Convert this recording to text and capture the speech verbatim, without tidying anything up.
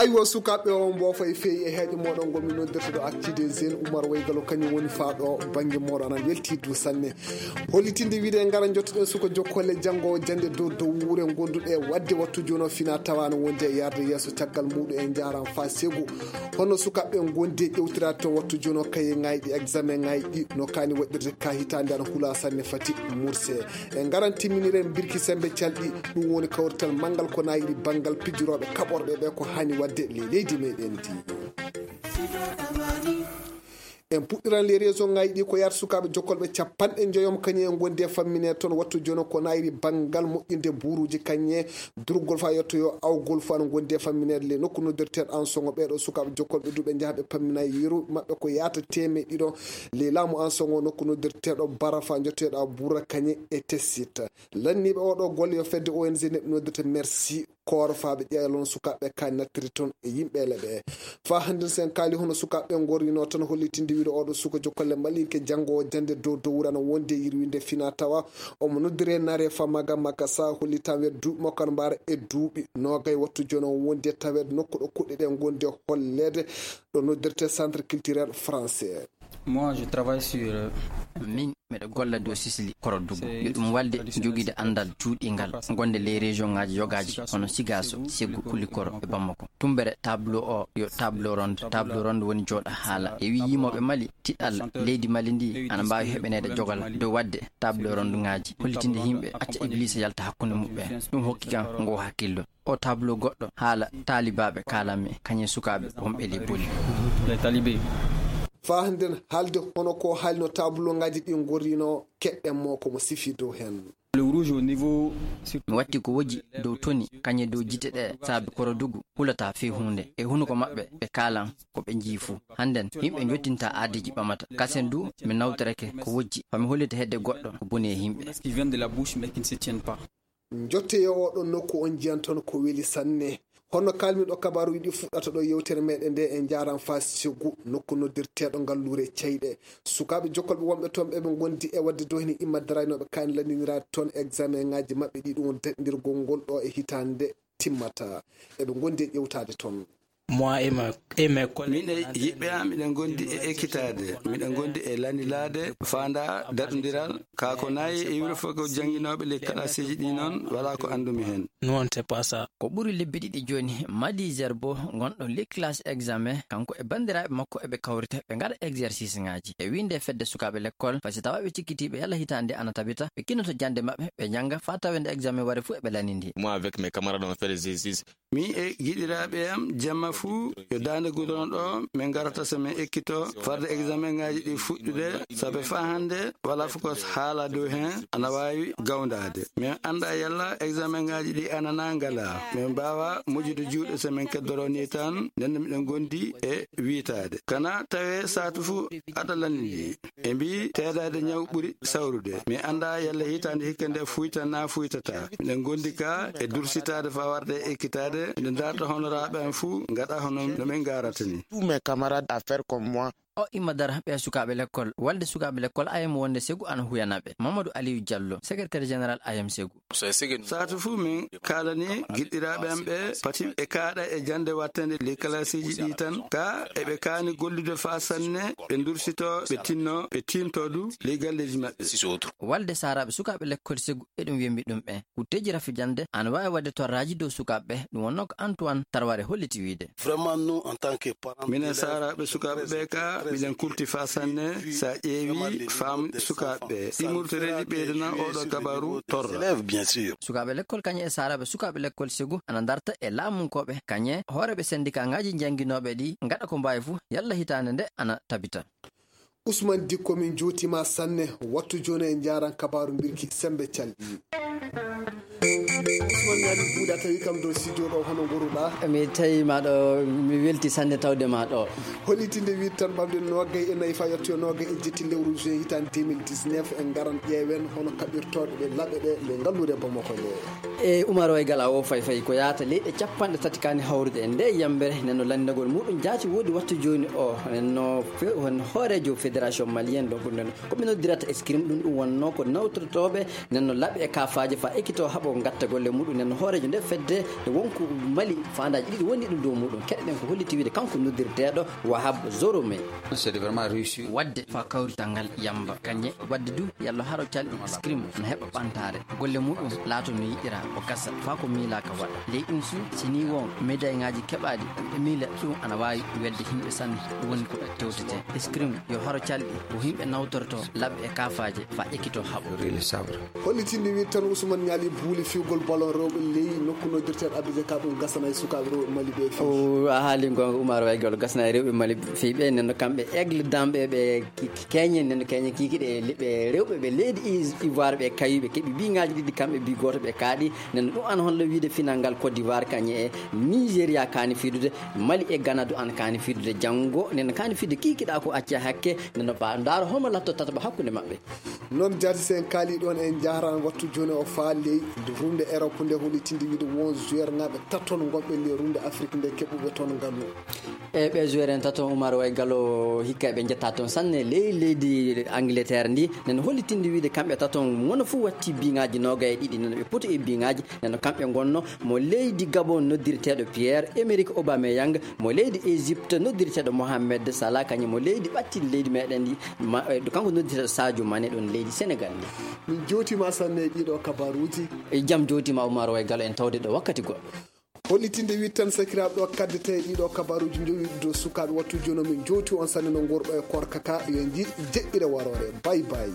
aywa sukaɓe o mbofa e feewi e heeƴo moɗon gomi noddirta ɗo actide Zéne Oumar Waygalo kañum woni faaɗo banggue moɗon anan weltidu sanne hollitinde wiide gara jottoɗen suko jokkole janggo jande dow dow wuure gonduɗe wadde wattu joni o fina tawano wonde e yarde yesso caggal muɗum en jaran fa segu hono sukaɓe gondi ƴewtirade to wattu joni o kaye ngayɗi examen ngayɗi no kani waɗirde ka hitande ana huula sanne fati murse en garan timminiren birki sembe calɗi ɗum woni kawrital manggal ko nayiɗi banggal pijuroɓe kaɓorɓe ɓe ko hani wadde le leydi meɗen di en puɗɗiran les région ngaji ɗi ko yarta sukaɓe jokkolɓe capanɗe joyom kañum en gondi e fammine toon wattu joni ko nayri banggal moƴƴinde buruji kañe durgol fa yettoyo awgol fo ana gondi e famminede le nokku noddirteɗo en songo ɓeɗo sukaɓe jokkolɓe duɓe jaaha ɓe pammina yeru mabɓe ko yaata teme ɗiɗo le laamu en songo nokku noddirteɗo barafa jotteɗo bura kañe e tessita lanniɓe oɗo golle yo fedde O N G neɓɓe noddirta merci kooro faɓe ƴeelon sukaɓe ka nattiri toon e yimɓele ɓe fa hande sen kaali hono sukaɓe gorrino tan hollitinde wiide oɗo suka jokkolle malinke janggo jande dow dow wurana wonde yirwinde fina tawa omo noddire nare famaga makka sa hollitan wede duuɓi makko ana mbara e duuɓi nogay wattu joni o wonde tawede nokku ɗo kuɗɗe ɗe gonde hollede ɗo noddirte centre culturel français. Moi je travaille sur min miɗo golla dow sisli koroddugo yo ɗum walde joguide andal juuɗingal gonde les région ngaji yogaji hono Sigaso Seggu Kulikoro e Bamako tumbere tableau o yo tableau ronde tableau ronde woni jooɗa haala e wi yimoɓe Mali tiɗal leydi Mali ndi ana mbawi heɓanede jogal dow wadde tableau ronde ngaji hollitinde yimɓe acca église yalta hakkude muɓɓe ɗum hokki kan ngo hakkillo o tableau goɗɗo haala talibaɓe kalanmi kañum sukaɓe wonɓe les boli les talibé fa handen haalde hono ko haalino tableau ngaji ɗi gorrino keɗɗen mo komo sifi dow hen le rouge au niveau mi watti ko woji dow toni kañe dow jite ɗe saabi korodugu hulata fe hunde e hunuko maɓɓe ɓe kalan ko ɓe jii fuu hannden yimɓe jottinta aadiji ɓamata kasen du mi nawtorake ko wojji fami hollita hedde goɗɗo ko boni e yimɓe qui vient de la bouche mais qui ne se tiennent pas jotte yo oɗon nokku on jiyan toon ko weeli sanne honno kalmiɗo kabaru yiɗi fuɗɗata ɗo yewtere meɗen nde en jaran fa Seggu nokku noddirteɗo ngallure ceyɗe sukaɓe jokkolɓe wonɓe toon ɓeɓe gondi e wadde dow hene imma daraynoɓe kani landinirade toon examen ngaji mabɓe ɗi ɗum daɗdirgol ngol ɗo e hitande timmata eɓe gondi e ƴewtade toon moi et ma et mes collègues min e yiɓɓe am miɗen gondi e ekkitade miɗen gondi e landilade fanda daɗodiral ka ko nayi e wuro fof ko jangguinoɓe les classeji ɗi noon wala ko andumi hen nous on sait pas ça ko ɓuri lebbi ɗiɗi joni Madi Zerbo gonɗo les classe examen kanko e bandiraɓe makko eɓe kawrite ɓe gaɗa exercice ngaji e winde fedde sukaɓe l'école par ce tawa ɓe cikkitiɓe yalla hitande ana tabita ɓe kinoto jande mabɓe ɓe jangga fa tawende examen wari fuu eɓe lanindi moi avec mes camarades on fait des exercices mi e giɗiraɓe am jamma fuu yo dande gudron ɗo min garata so min ekkito farde examen ngaji ɗi fuɗɗude saabe fa hande wala fof ko haala dow hen ana wawi gawdade min anda yalla examen ngaji ɗi anana ngala min mbawa moƴƴude juuɗe so min keddoro ni tan nende miɗen gondi e wiitade kana tawe satu fuu aɗa landidi e mbi teedade ñaw ɓuuri sawrude mi anda yalla hitande hikka nde fuyta na fuytata miɗen gondi ka e dursitade fa warde ekkitade miɗen darta honoraɓe en fuu gaɗa hono no min garatani tous mes camarades à faire comme moi o imma dara ɓe sukaɓe l'école walde sukaɓe l'école ayam wonde Seggu ana huyanaɓe Mamadou Aliou Diallo secrétaire général ayam Seggu satu fuu min kalani giɗɗiraɓe am ɓe pati ɓe kaaɗa e jande wattande les classeji ɗi tan ka eɓe kaani gollude fa sanne ɓe dursito ɓe tinno ɓe tinto du les galleji maɓɓe walde saraɓe sukaɓe l'école Seggu eɗum wiyambi ɗum ɓe kutteji rafijande ana wawi wadde torraji dow sukaɓe ɗum wonno ko Antoine Tarware holliti wiide vraiment nous en tant que parents minen saraɓe sukaɓe ɓe ka miɗen kurti fa sanne sa ƴeewi fam sukaɓe ɗimurtoreji ɓeydana oɗo kabaru torra bien sûr sukaɓe l'école kañe e saraɓe sukaɓe l'école Seggu ana darta e laamunkoɓe kañe hooreɓe syndicat ngaji jangguinoɓe ɗi gaɗa ko mbawi fuu yalla hitande nde ana tabita Ousmane Dikko min juutima sanne wattu joni en jaran kabaru birki sembe calɗi Ousmane ñaɗi buuɗa tawi kam dow studio ɗo hono goruɗa mi tawi maɗo mi welti sanne tawde ma ɗo hollitinde wiide tan ɓamde noggay e nayyi fa yettoyo noggay e jetti lewru juin hitande deux mille dix-neuf en garan ƴeewen hono kaɓirtoɗe ɗe laɓe ɗe nde ngallude Bamako nde e Oumar Waygala o fay fay ko yahata leyɗe capanɗe tati kani hawrude e nde yambere nenno landinagol muɗum jaati woodi wattu joni o nenno hon hoorejo fédération malienne ɗo ɓurnen koɓe noddirata escrime ɗum ɗum wonno ko nawtotoɓe nenno laaɓe e kafaji fa ekkito haaɓo gatta golle muɗum nen hoorejo nde fedde nde wonko mali fandaji ɗiɗi woni ɗum dow muɗum keɗɗen ko holliti wiide kanko noddirteɗo Wahab Zorome. C'est vraiment réussi. wadde fa kawrital ngal yamba kanje wadde du yallo haro calɗi scrim no heɓa ɓantare golle muɗum laato no yiɗira o gasa fa ko miilaka waɗa ley ɗum su sini won médaille ngaji keɓaɗi e miila ɗum ana wawi wedde himɓe sanne ɗum woni ko tewtete scrim yo haro calɗi ko himɓe nawtorto labɓe e kafaje fa ekkito haɓo hollitinde wi tan Ousmane Niali buuli fiwgol ballon rewɓe ley nokku noddirteɗo Abidjan ka ɗum gasana e sukaɓe rewɓe Mali ɓe o a haali gonga Oumar Waygol gasana e rewɓe Mali fiɓe nenno kamɓe aigle damɓe ɓe keñe nenno keñe kikiɗe ɓe rewɓe ɓe leydi Ivoire ɓe kayiɓe keeɓi biŋaji ɗiɗi kamɓe bi goto ɓe kaaɗi nenno ɗum an holno wiide final ngal Côte d'Ivoire kañe e Nigéria kani fidude Mali e Ghana du an kani fidude janggo nenno kani fidde kikiɗa ko acca hakke nenno ba daaro holmo latto tata ba hakkude mabɓe noon jaati sen kaali ɗon en jahran wattu joni o faa ley runde Europe nde hollitinde wiide won joueur ngaɓe taton gonɓe le runde Afrique nde keɓuɓe toon ngallu e ɓe joueur en taton Oumar Waygalo hikka ɓe jetta toon sanne ley leydi Angleterre ndi neno hollitinde wiide kamɓe taton wono fou watti biŋaji noga e ɗiɗi neno ɓe poti e biŋaji neno kamɓe gonno mo leydi Gabon noddirteɗo Pierre Emerick Aubameyang mo leydi Égypte noddirteɗo Mohamed Salah kañum mo leydi ɓattidi leydi meɗen ndi kanko noddirteɗo Sadio Mané ɗon leydi Sénégal ndi min jotima sanne e ɗiɗo kabaruji e jaam jotima Oumar Waygalo en tawde ɗo wakkati goɗɗo hollitinde wi tan sakiraɓe ɗo kaddete ɗiɗo kabaruji jowi dow sukaɓe wattu joni min jowti on sanne no gorɗo e korkaka yo jiɗ jeɗɗire warore bay bay.